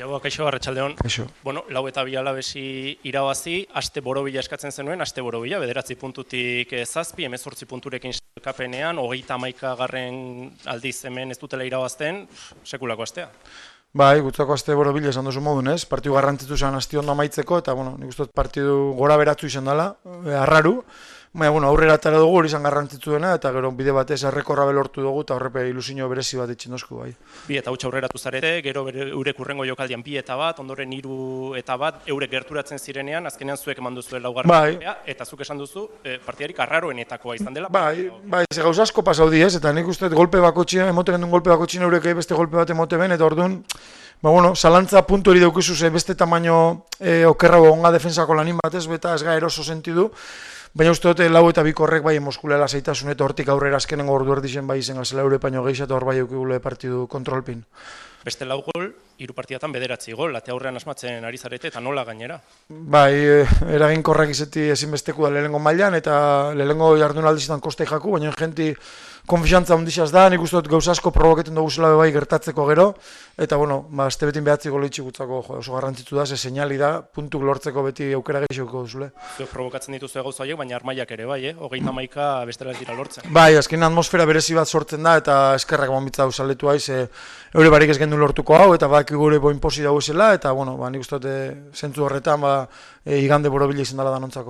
Kaixo, arratsaldeon. Kaixo. Bueno, 4-2 Alabesi irabazi, aste borobila eskatzen zenuen, aste borobila, 9 puntutik 7, 18 punturekin sailkapenean, 31. aldiz hemen ez dutela irabazten, sekulako astea. Bai, gutzako aste borobila esan duzu modun, ez? Partidu garrantzitu zen asti ondo amaitzeko, eta, bueno, nik uste dut partidu gora beratzu izan dela, arraru. Baina, bueno, aurrera atara dugu, hori izan garrantzitsu dena, eta gero bide batez errekorra belortu dugu, eta horrepe ilusio berezi bat itxindozku, bai. 2 aurreratu zarete, gero eurek urrengo jokaldian 2-1, ondoren 3-1, eurek gerturatzen zirenean, azkenean zuek eman duzu laugarren bai. eta zuk esan duzu, partidarik arraroenetakoa izan dela. Bai, ze gauza asko pasau di, ez? Eta nik uste dut golpe bakotxina, emote gendun golpe bakotxina eurek beste golpe bat emote ben, eta orduan, bueno, zalantza puntu hori daukizu ze beste tamaino okerra onga defensako lanin batez, beta ez ga eroso sentidu. Baina uste dute 4-2 horrek bai emoskulela zaitasun eta hortik aurrera azkenengo ordu erdixen bai izen gazela Europaino gehiago eta hor bai eukigule partidu kontrolpin. Beste 4 gol, 3 partidatan 9 gol, ate aurrean asmatzen ari zarete eta nola gainera? Bai, eraginkorrak izeti ezinbesteku da lehenengo mailan eta lehenengo jardunaldizetan kostei jaku, baina jenti konfiantza ondixaz da, nik uste dut gauza asko proboketen dugu zela bai gertatzeko gero, eta bueno, azte betin behatzi golo itxigutzako oso garrantzitu da, ze seinali da, puntuk lortzeko beti aukera gehiago duzule. Zuek provokatzen dituzu gauza horiek, baina armailak ere bai, 31 bestela ez dira lortzen. Bai, azken atmosfera berezi bat sortzen da, eta eskerrak eman hau saletu haiz, eure barik ez gendu lortuko hau, eta baki gure boinposi dago zela, eta bueno, nik uste dut zentzu horretan igande borobila izan dela danontzako.